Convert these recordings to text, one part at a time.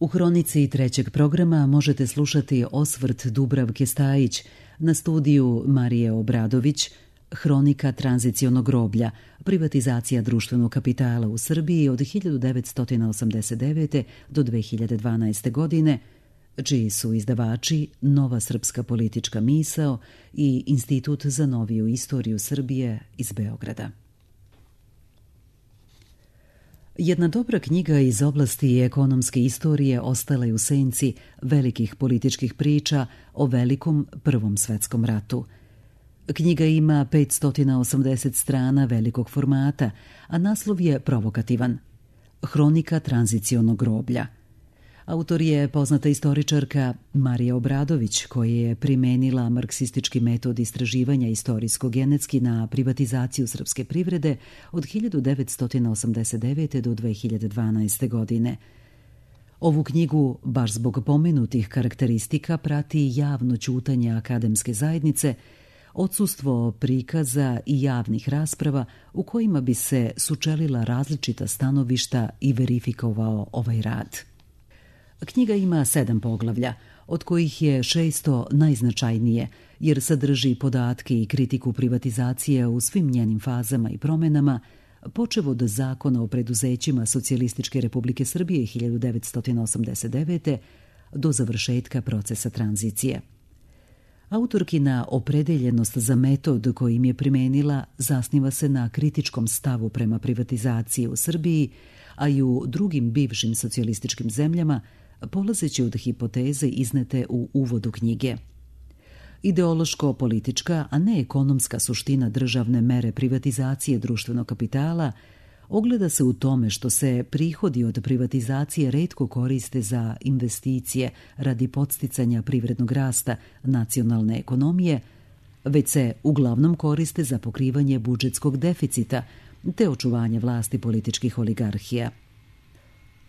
U hronici trećeg programa možete slušati osvrt Dubravke Stajić na studiju Marije Obradović, Hronika tranzicionog groblja, privatizacija društvenog kapitala u Srbiji od 1989. do 2012. godine, čiji su izdavači Nova srpska politička misao i Institut za noviju istoriju Srbije iz Beograda. Jedna dobra knjiga iz oblasti ekonomske istorije ostala je u senci velikih političkih priča o velikom Prvom svetskom ratu. Knjiga ima 580 strana velikog formata, a naslov je provokativan – Hronika tranzicionog groblja. Autor je poznata istoričarka Marija Obradović, koja je primenila marksistički metod istraživanja istorijsko-genetski na privatizaciju srpske privrede od 1989. do 2012. godine. Ovu knjigu, baš zbog pomenutih karakteristika, prati javno ćutanje akademske zajednice, odsustvo prikaza i javnih rasprava u kojima bi se sučelila različita stanovišta i verifikovao ovaj rad. Knjiga ima 7 poglavlja, od kojih je 6 najznačajnije, jer sadrži podatke i kritiku privatizacije u svim njenim fazama i promenama, počev od Zakona o preduzećima Socijalističke Republike Srbije 1989. do završetka procesa tranzicije. Autorkina opredeljenost za metod kojim je primenila zasniva se na kritičkom stavu prema privatizaciji u Srbiji, a i u drugim bivšim socijalističkim zemljama, polazeći od hipoteze iznete u uvodu knjige. Ideološko-politička, a ne ekonomska suština državne mere privatizacije društvenog kapitala ogleda se u tome što se prihodi od privatizacije retko koriste za investicije radi podsticanja privrednog rasta nacionalne ekonomije, već se uglavnom koriste za pokrivanje budžetskog deficita te očuvanje vlasti političkih oligarhija.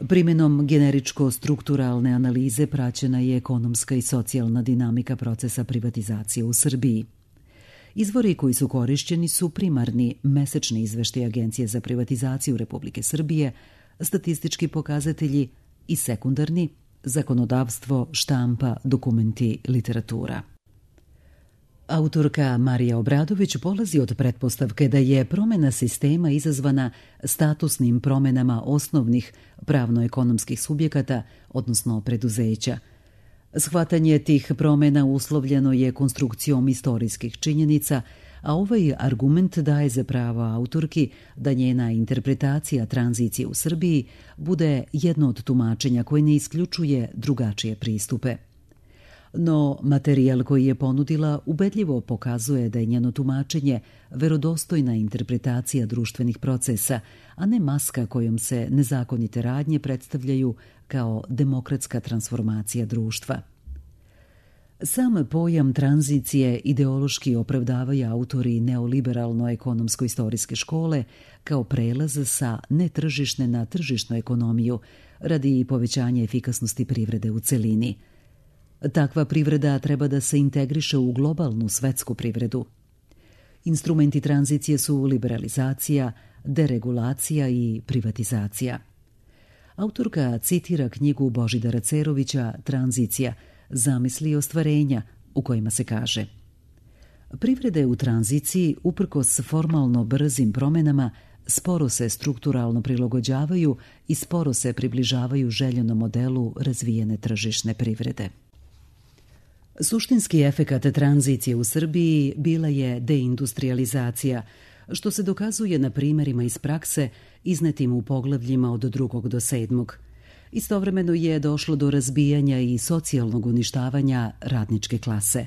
Primenom generičko-strukturalne analize praćena je ekonomska i socijalna dinamika procesa privatizacije u Srbiji. Izvori koji su korišćeni su primarni mesečni izveštaj Agencije za privatizaciju Republike Srbije, statistički pokazatelji i sekundarni zakonodavstvo, štampa, dokumenti, literatura. Autorka Marija Obradović polazi od pretpostavke da je promena sistema izazvana statusnim promenama osnovnih pravno-ekonomskih subjekata, odnosno preduzeća. Shvatanje tih promena uslovljeno je konstrukcijom istorijskih činjenica, a ovaj argument daje za pravo autorki da njena interpretacija tranzicije u Srbiji bude jedno od tumačenja koje ne isključuje drugačije pristupe. No, materijal koji je ponudila ubedljivo pokazuje da je njeno tumačenje verodostojna interpretacija društvenih procesa, a ne maska kojom se nezakonite radnje predstavljaju kao demokratska transformacija društva. Sam pojam tranzicije ideološki opravdavaju autori neoliberalno-ekonomsko-istorijske škole kao prelaz sa netržišne na tržišnu ekonomiju radi povećanja efikasnosti privrede u celini. Takva privreda treba da se integriše u globalnu svetsku privredu. Instrumenti tranzicije su liberalizacija, deregulacija i privatizacija. Autorka citira knjigu Božidara Cerovića Tranzicija, zamisli i ostvarenja, u kojima se kaže: privrede u tranziciji, uprkos formalno brzim promenama, sporo se strukturalno prilagođavaju i sporo se približavaju željenom modelu razvijene tržišne privrede. Suštinski efekat tranzicije u Srbiji bila je deindustrializacija, što se dokazuje na primerima iz prakse iznetim u poglavljima od 2. do 7. Istovremeno je došlo do razbijanja i socijalnog uništavanja radničke klase.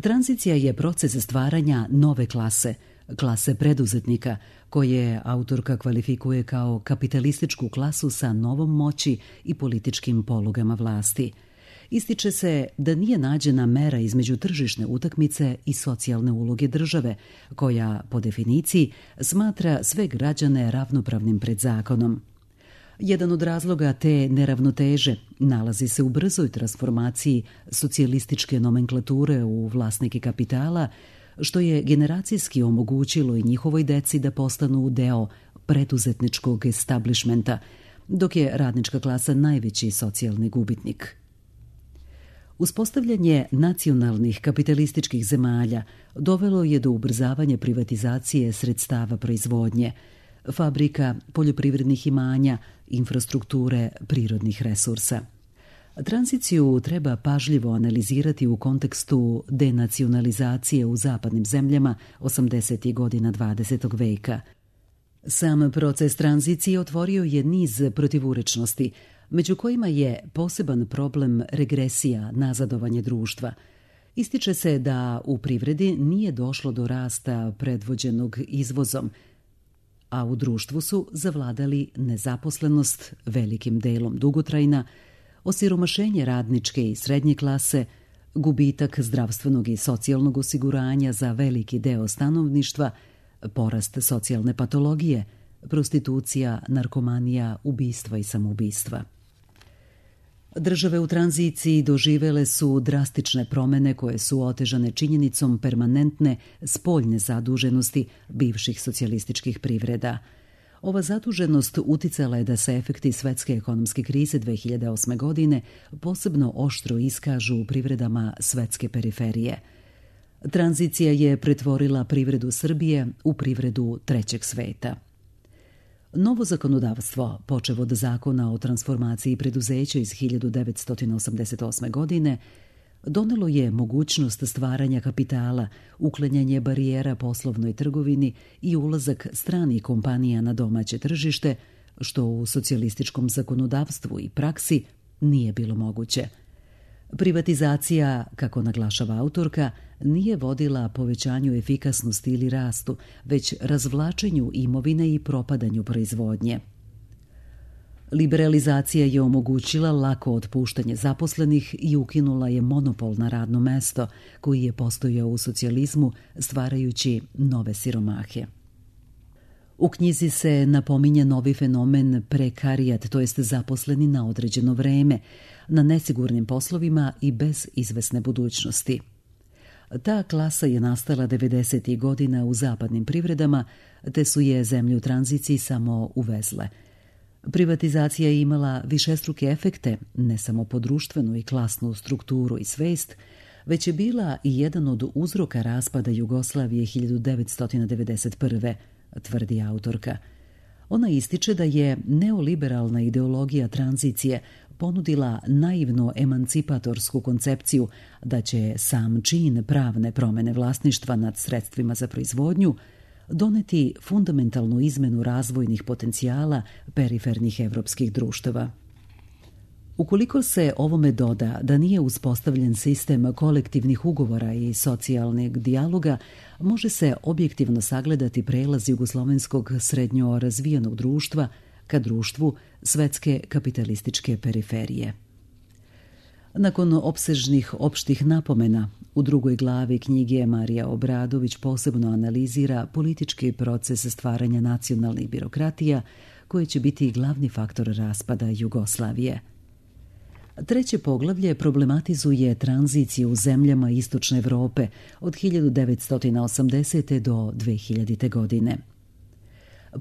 Tranzicija je proces stvaranja nove klase, klase preduzetnika, koje autorka kvalifikuje kao kapitalističku klasu sa novom moći i političkim polugama vlasti. Ističe se da nije nađena mera između tržišne utakmice i socijalne uloge države, koja, po definiciji, smatra sve građane ravnopravnim pred zakonom. Jedan od razloga te neravnoteže nalazi se u brzoj transformaciji socijalističke nomenklature u vlasnike kapitala, što je generacijski omogućilo i njihovoj deci da postanu deo preduzetničkog establishmenta, dok je radnička klasa najveći socijalni gubitnik. Uspostavljanje nacionalnih kapitalističkih zemalja dovelo je do ubrzavanja privatizacije sredstava proizvodnje, fabrika, poljoprivrednih imanja, infrastrukture, prirodnih resursa. Tranziciju treba pažljivo analizirati u kontekstu denacionalizacije u zapadnim zemljama 80. godina 20. veka. Sam proces tranzicije otvorio je niz protivurečnosti, među kojima je poseban problem regresija, nazadovanje društva. Ističe se da u privredi nije došlo do rasta predvođenog izvozom, a u društvu su zavladali nezaposlenost, velikim delom dugotrajna, osiromašenje radničke i srednje klase, gubitak zdravstvenog i socijalnog osiguranja za veliki deo stanovništva, porast socijalne patologije, prostitucija, narkomanija, ubistva i samoubistva. Države u tranziciji doživele su drastične promene koje su otežane činjenicom permanentne spoljne zaduženosti bivših socijalističkih privreda. Ova zaduženost uticala je da se efekti svetske ekonomske krize 2008. godine posebno oštro iskažu u privredama svetske periferije. Tranzicija je pretvorila privredu Srbije u privredu trećeg sveta. Novo zakonodavstvo, počev od zakona o transformaciji preduzeća iz 1988. godine, donelo je mogućnost stvaranja kapitala, uklanjanje barijera poslovnoj trgovini i ulazak stranih kompanija na domaće tržište, što u socijalističkom zakonodavstvu i praksi nije bilo moguće. Privatizacija, kako naglašava autorka, nije vodila povećanju efikasnosti ili rastu, već razvlačenju imovine i propadanju proizvodnje. Liberalizacija je omogućila lako otpuštanje zaposlenih i ukinula je monopol na radno mesto koji je postojao u socijalizmu, stvarajući nove siromahe. U knjizi se napominje novi fenomen prekarijat, to jest zaposleni na određeno vreme, na nesigurnim poslovima i bez izvesne budućnosti. Ta klasa je nastala 90. godina u zapadnim privredama, te su je zemlje u tranziciji samo uvezle. Privatizacija je imala višestruke efekte, ne samo po društvenu i klasnu strukturu i svest, već je bila i jedan od uzroka raspada Jugoslavije 1991. tvrdi autorka. Ona ističe da je neoliberalna ideologija tranzicije ponudila naivno emancipatorsku koncepciju da će sam čin pravne promene vlasništva nad sredstvima za proizvodnju doneti fundamentalnu izmenu razvojnih potencijala perifernih evropskih društava. Ukoliko se ovome doda da nije uspostavljen sistem kolektivnih ugovora i socijalnog dijaloga, može se objektivno sagledati prelaz jugoslovenskog srednjo razvijenog društva ka društvu svetske kapitalističke periferije. Nakon opsežnih opštih napomena, u drugoj glavi knjige Marija Obradović posebno analizira politički proces stvaranja nacionalnih birokratija koji će biti glavni faktor raspada Jugoslavije. Treće poglavlje problematizuje tranziciju u zemljama Istočne Evrope od 1980. do 2000. godine.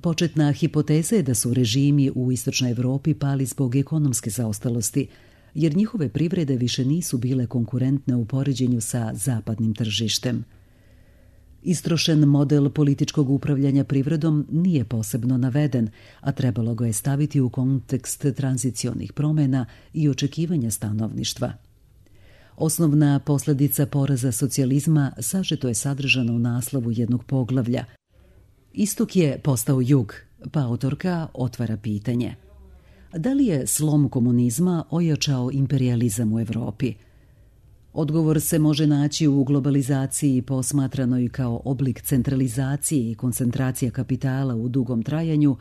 Početna hipoteza je da su režimi u Istočnoj Evropi pali zbog ekonomske zaostalosti, jer njihove privrede više nisu bile konkurentne u poređenju sa zapadnim tržištem. Istrošen model političkog upravljanja privredom nije posebno naveden, a trebalo ga je staviti u kontekst tranzicionih promjena i očekivanja stanovništva. Osnovna posljedica poraza socijalizma sažeto je sadržana u naslovu jednog poglavlja. Istok je postao jug, pa autorka otvara pitanje. Da li je slom komunizma ojačao imperijalizam u Evropi? Odgovor se može naći u globalizaciji posmatranoj kao oblik centralizacije i koncentracija kapitala u dugom trajanju,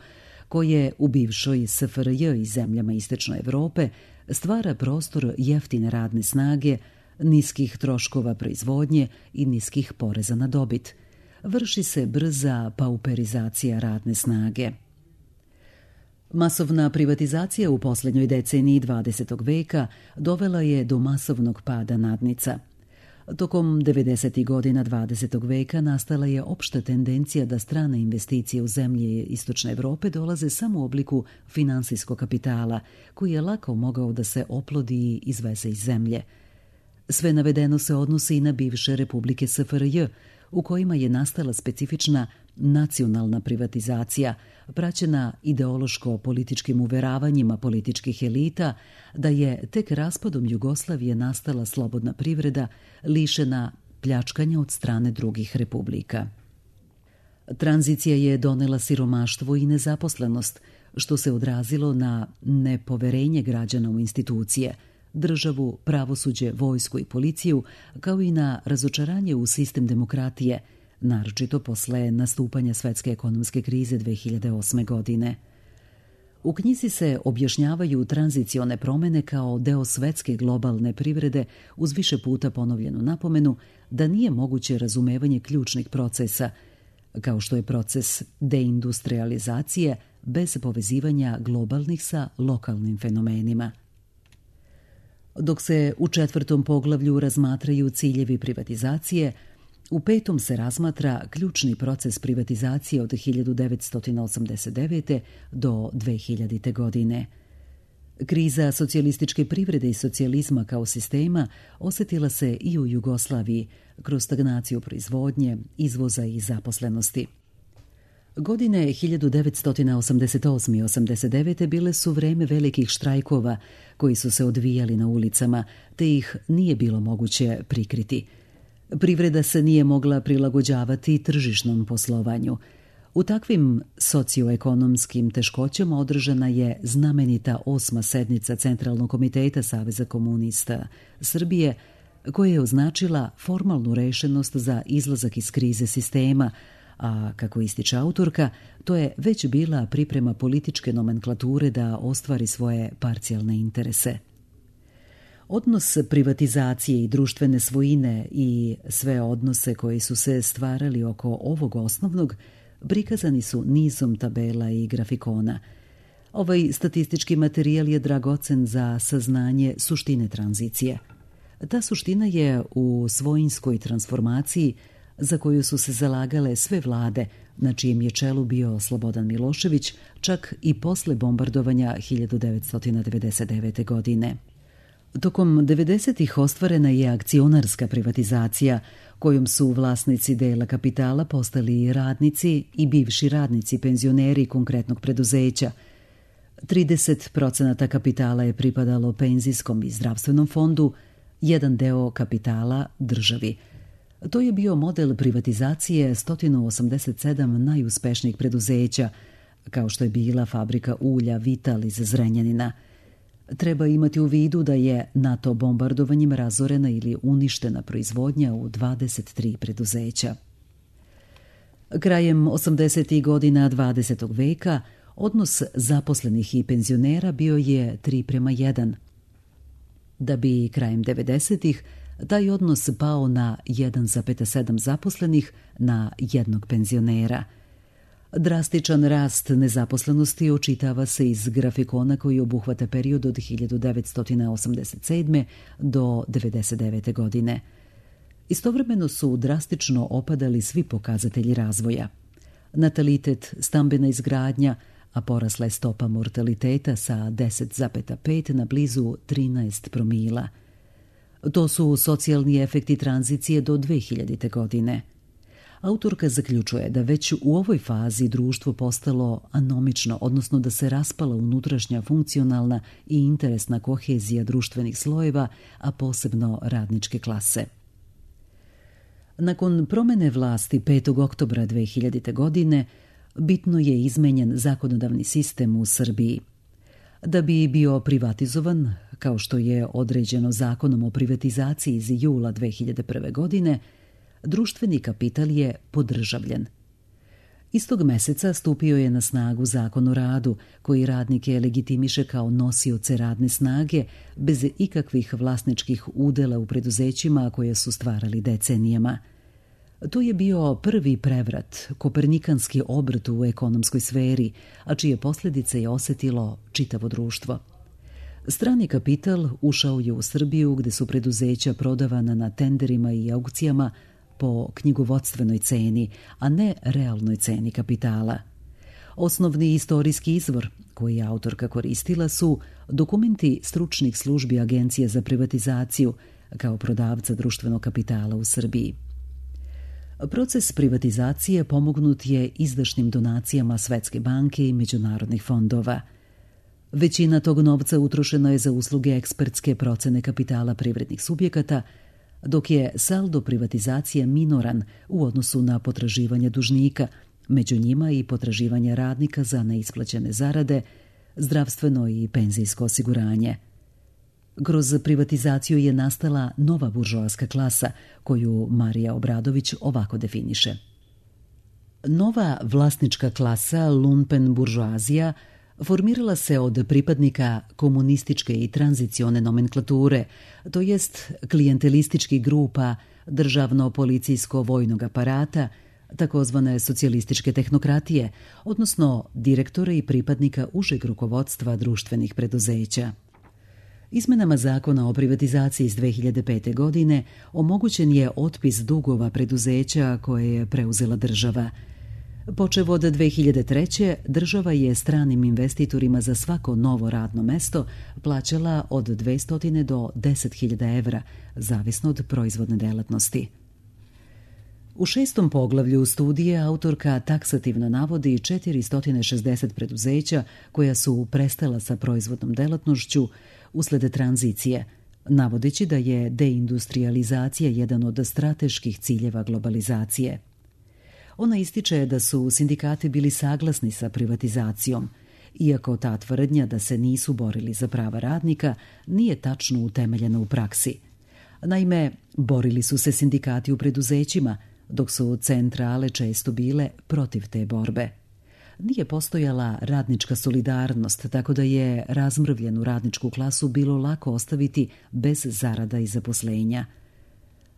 koje u bivšoj SFRJ i zemljama Istočne Evrope stvara prostor jeftine radne snage, niskih troškova proizvodnje i niskih poreza na dobit. Vrši se brza pauperizacija radne snage. Masovna privatizacija u posljednjoj deceniji 20. veka dovela je do masovnog pada nadnica. Tokom 90. godina 20. veka nastala je opšta tendencija da strane investicije u zemlje Istočne Evrope dolaze samo u obliku finansijskog kapitala, koji je lako mogao da se oplodi i izveze iz zemlje. Sve navedeno se odnosi i na bivše republike SFRJ, u kojima je nastala specifična nacionalna privatizacija, praćena ideološko-političkim uveravanjima političkih elita da je tek raspadom Jugoslavije nastala slobodna privreda lišena pljačkanja od strane drugih republika. Tranzicija je donela siromaštvo i nezaposlenost, što se odrazilo na nepoverenje građana u institucije, državu, pravosuđe, vojsku i policiju, kao i na razočaranje u sistem demokratije, naročito posle nastupanja svetske ekonomske krize 2008. godine. U knjizi se objašnjavaju tranzicione promene kao deo svetske globalne privrede uz više puta ponovljenu napomenu da nije moguće razumevanje ključnih procesa, kao što je proces deindustrializacije bez povezivanja globalnih sa lokalnim fenomenima. Dok se u 4. poglavlju razmatraju ciljevi privatizacije, u 5. se razmatra ključni proces privatizacije od 1989. do 2000. godine. Kriza socijalističke privrede i socijalizma kao sistema osetila se i u Jugoslaviji kroz stagnaciju proizvodnje, izvoza i zaposlenosti. Godine 1988. i 89. bile su vreme velikih štrajkova koji su se odvijali na ulicama, te ih nije bilo moguće prikriti. Privreda se nije mogla prilagođavati tržišnom poslovanju. U takvim socioekonomskim teškoćama održana je znamenita 8. sednica Centralnog komiteta Saveza komunista Srbije, koja je označila formalnu rešenost za izlazak iz krize sistema, a kako ističe autorka, to je već bila priprema političke nomenklature da ostvari svoje parcijalne interese. Odnos privatizacije i društvene svojine i sve odnose koji su se stvarali oko ovog osnovnog prikazani su nizom tabela i grafikona. Ovaj statistički materijal je dragocen za saznanje suštine tranzicije. Ta suština je u svojinskoj transformaciji za koju su se zalagale sve vlade, na čijem je čelu bio Slobodan Milošević, čak i posle bombardovanja 1999. godine. Tokom 90-ih ostvarena je akcionarska privatizacija, kojom su vlasnici dela kapitala postali radnici i bivši radnici, penzioneri konkretnog preduzeća. 30% kapitala je pripadalo penzijskom i zdravstvenom fondu, jedan deo kapitala državi. To je bio model privatizacije 187 najuspešnijih preduzeća, kao što je bila fabrika ulja Vital iz Zrenjanina. Treba imati u vidu da je NATO bombardovanjem razorena ili uništena proizvodnja u 23 preduzeća. Krajem 80. godina 20. veka odnos zaposlenih i penzionera bio je 3:1, da bi krajem 90-ih taj odnos pao na 1,7 zaposlenih na jednog penzionera. Drastičan rast nezaposlenosti očitava se iz grafikona koji obuhvata period od 1987. do 1999. godine. Istovremeno su drastično opadali svi pokazatelji razvoja. Natalitet, stambena izgradnja, a porasla je stopa mortaliteta sa 10,5 na blizu 13 promila. To su socijalni efekti tranzicije do 2000. godine. Autorka zaključuje da već u ovoj fazi društvo postalo anomično, odnosno da se raspala unutrašnja funkcionalna i interesna kohezija društvenih slojeva, a posebno radničke klase. Nakon promene vlasti 5. oktobra 2000. godine, bitno je izmenjen zakonodavni sistem u Srbiji. Da bi bio privatizovan, kao što je određeno zakonom o privatizaciji iz jula 2001. godine, društveni kapital je podržavljen. Istog meseca stupio je na snagu Zakon o radu, koji radnike legitimiše kao nosioce radne snage bez ikakvih vlasničkih udela u preduzećima koje su stvarali decenijama. To je bio prvi prevrat, kopernikanski obrt u ekonomskoj sferi, a čije posljedice je osetilo čitavo društvo. Strani kapital ušao je u Srbiju gde su preduzeća prodavana na tenderima i aukcijama po knjigovodstvenoj ceni, a ne realnoj ceni kapitala. Osnovni istorijski izvor koji je autorka koristila su dokumenti stručnih službi Agencije za privatizaciju kao prodavca društvenog kapitala u Srbiji. Proces privatizacije pomognut je izdašnim donacijama Svetske banke i međunarodnih fondova. Većina tog novca utrošena je za usluge ekspertske procene kapitala privrednih subjekata, dok je saldo privatizacije minoran u odnosu na potraživanja dužnika, među njima i potraživanja radnika za neisplaćene zarade, zdravstveno i penzijsko osiguranje. Kroz privatizaciju je nastala nova buržoaska klasa, koju Marija Obradović ovako definiše. Nova vlasnička klasa, lumpen buržoazija, formirala se od pripadnika komunističke i tranzicione nomenklature, to jest klijentelističkih grupa državno-policijsko-vojnog aparata, takozvane socijalističke tehnokratije, odnosno direktora i pripadnika užeg rukovodstva društvenih preduzeća. Izmenama zakona o privatizaciji iz 2005. godine omogućen je otpis dugova preduzeća koje je preuzela država. Počev od 2003. država je stranim investitorima za svako novo radno mesto plaćala od 200 do 10.000 evra, zavisno od proizvodne delatnosti. U 6. poglavlju studije autorka taksativno navodi 460 preduzeća koja su prestala sa proizvodnom delatnošću usled tranzicije, navodeći da je deindustrializacija jedan od strateških ciljeva globalizacije. Ona ističe da su sindikati bili saglasni sa privatizacijom, iako ta tvrdnja da se nisu borili za prava radnika nije tačno utemeljena u praksi. Naime, borili su se sindikati u preduzećima, dok su centrale često bile protiv te borbe. Nije postojala radnička solidarnost, tako da je razmrvljenu radničku klasu bilo lako ostaviti bez zarada i zaposlenja.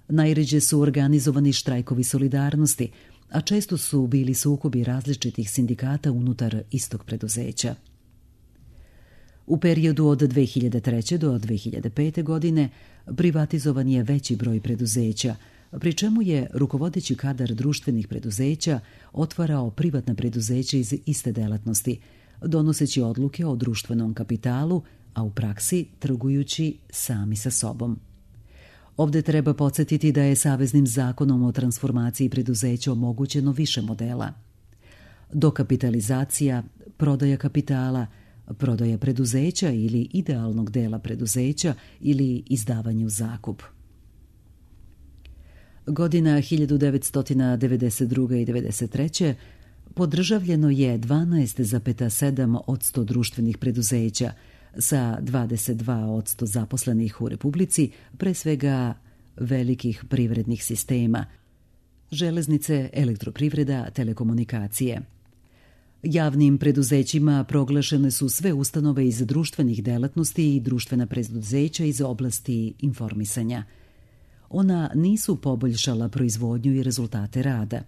Najređe su organizovani štrajkovi solidarnosti, a često su bili sukobi različitih sindikata unutar istog preduzeća. U periodu od 2003. do 2005. godine privatizovan je veći broj preduzeća, pri čemu je rukovodeći kadar društvenih preduzeća otvarao privatna preduzeća iz iste delatnosti, donoseći odluke o društvenom kapitalu, a u praksi trgujući sami sa sobom. Ovde treba podsjetiti da je Saveznim zakonom o transformaciji preduzeća omogućeno više modela. Dokapitalizacija, prodaja kapitala, prodaja preduzeća ili idealnog dela preduzeća ili izdavanje u zakup. Godina 1992. i 1993. podržavljeno je 12,7% društvenih preduzeća sa 22% zaposlenih u Republici, pre svega velikih privrednih sistema, železnice, elektroprivreda, telekomunikacije. Javnim preduzećima proglašene su sve ustanove iz društvenih delatnosti i društvena preduzeća iz oblasti informisanja. Ona nisu poboljšala proizvodnju i rezultate rada.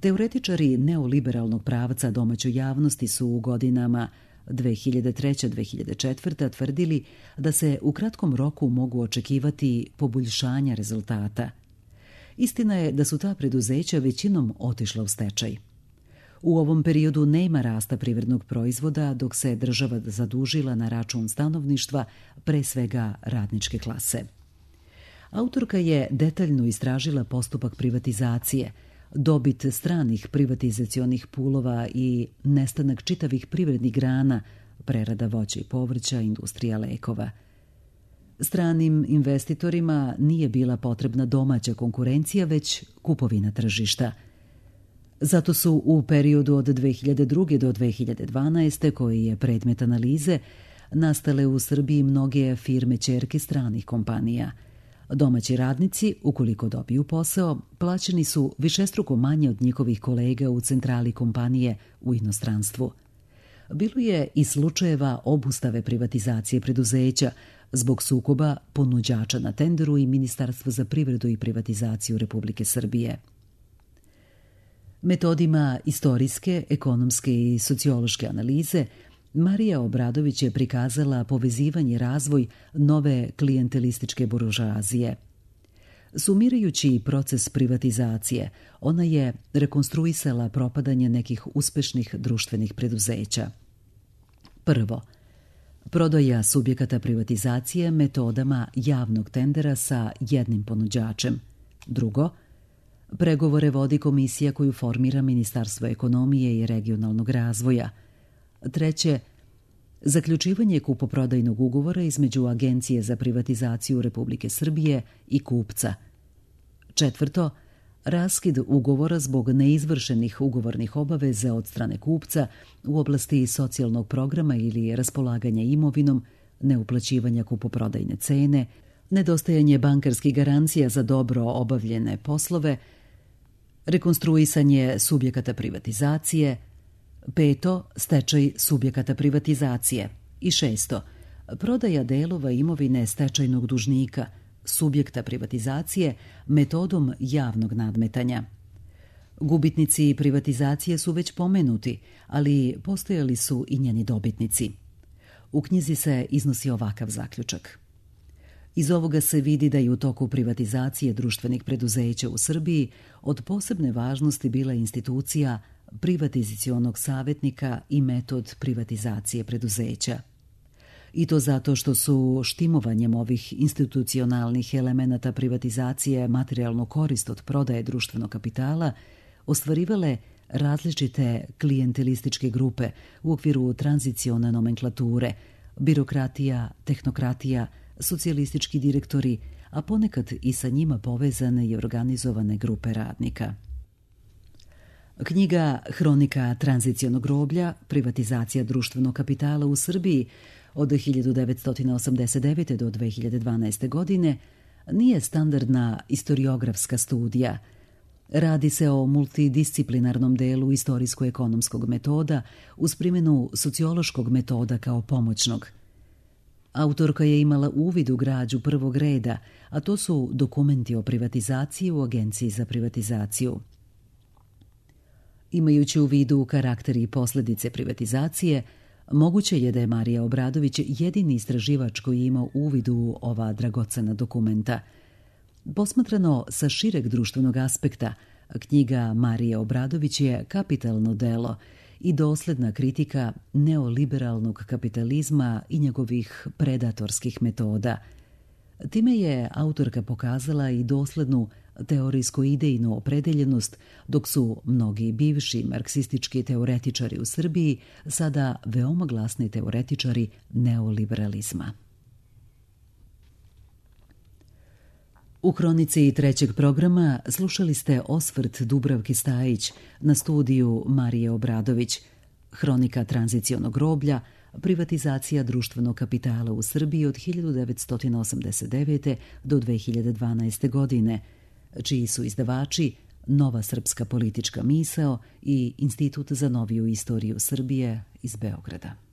Teoretičari neoliberalnog pravca domaćoj javnosti su u godinama 2003-2004. tvrdili da se u kratkom roku mogu očekivati poboljšanja rezultata. Istina je da su ta preduzeća većinom otišla u stečaj. U ovom periodu nema rasta privrednog proizvoda, dok se država zadužila na račun stanovništva, pre svega radničke klase. Autorka je detaljno istražila postupak privatizacije, dobit stranih privatizacionih pulova i nestanak čitavih privrednih grana, prerada voća i povrća, industrija lekova. Stranim investitorima nije bila potrebna domaća konkurencija, već kupovina tržišta. Zato su u periodu od 2002. do 2012. koji je predmet analize, nastale u Srbiji mnoge firme ćerke stranih kompanija. Domaći radnici, ukoliko dobiju posao, plaćeni su višestruko manje od njihovih kolega u centrali kompanije u inostranstvu. Bilo je i slučajeva obustave privatizacije preduzeća zbog sukoba ponuđača na tenderu i Ministarstva za privredu i privatizaciju Republike Srbije. Metodima istorijske, ekonomske i sociološke analize Marija Obradović je prikazala povezivanje i razvoj nove klijentelističke buržoazije. Sumirajući proces privatizacije, ona je rekonstruisala propadanje nekih uspešnih društvenih preduzeća. Prvo, prodaja subjekata privatizacije metodama javnog tendera sa jednim ponuđačem. Drugo, pregovore vodi komisija koju formira Ministarstvo ekonomije i regionalnog razvoja. Treće, zaključivanje kupoprodajnog ugovora između Agencije za privatizaciju Republike Srbije i kupca. Četvrto, raskid ugovora zbog neizvršenih ugovornih obaveza od strane kupca u oblasti socijalnog programa ili raspolaganja imovinom, neuplaćivanja kupoprodajne cene, nedostajanje bankarskih garancija za dobro obavljene poslove, rekonstruisanje subjekata privatizacije, peto, stečaj subjekata privatizacije i šesto, prodaja delova imovine stečajnog dužnika, subjekta privatizacije metodom javnog nadmetanja. Gubitnici privatizacije su već pomenuti, ali postojali su i njeni dobitnici. U knjizi se iznosi ovakav zaključak. Iz ovoga se vidi da je u toku privatizacije društvenih preduzeća u Srbiji od posebne važnosti bila institucija privatizacionog savjetnika i metod privatizacije preduzeća. I to zato što su štimovanjem ovih institucionalnih elemenata privatizacije materijalnu korist od prodaje društvenog kapitala ostvarivale različite klijentelističke grupe u okviru tranzicione nomenklature, birokratija, tehnokratija, socijalistički direktori, a ponekad i sa njima povezane i organizovane grupe radnika. Knjiga Hronika tranzicionog groblja, privatizacija društvenog kapitala u Srbiji od 1989. do 2012. godine nije standardna istoriografska studija. Radi se o multidisciplinarnom delu istorijsko-ekonomskog metoda uz primjenu sociološkog metoda kao pomoćnog. Autorka je imala uvid u građu prvog reda, a to su dokumenti o privatizaciji u Agenciji za privatizaciju. Imajući u vidu karakter i posljedice privatizacije, moguće je da je Marija Obradović jedini istraživač koji je imao uvid u ova dragocena dokumenta. Posmatrano sa šireg društvenog aspekta, knjiga Marije Obradović je kapitalno delo i dosledna kritika neoliberalnog kapitalizma i njegovih predatorskih metoda. Time je autorka pokazala i doslednu teorijsko-idejnu opredeljenost, dok su mnogi bivši marksistički teoretičari u Srbiji sada veoma glasni teoretičari neoliberalizma. U hronici trećeg programa slušali ste osvrt Dubravke Stajić na studiju Marije Obradović, Hronika tranzicionog groblja, privatizacija društvenog kapitala u Srbiji od 1989. do 2012. godine, čiji su izdavači Nova srpska politička misao i Institut za noviju istoriju Srbije iz Beograda.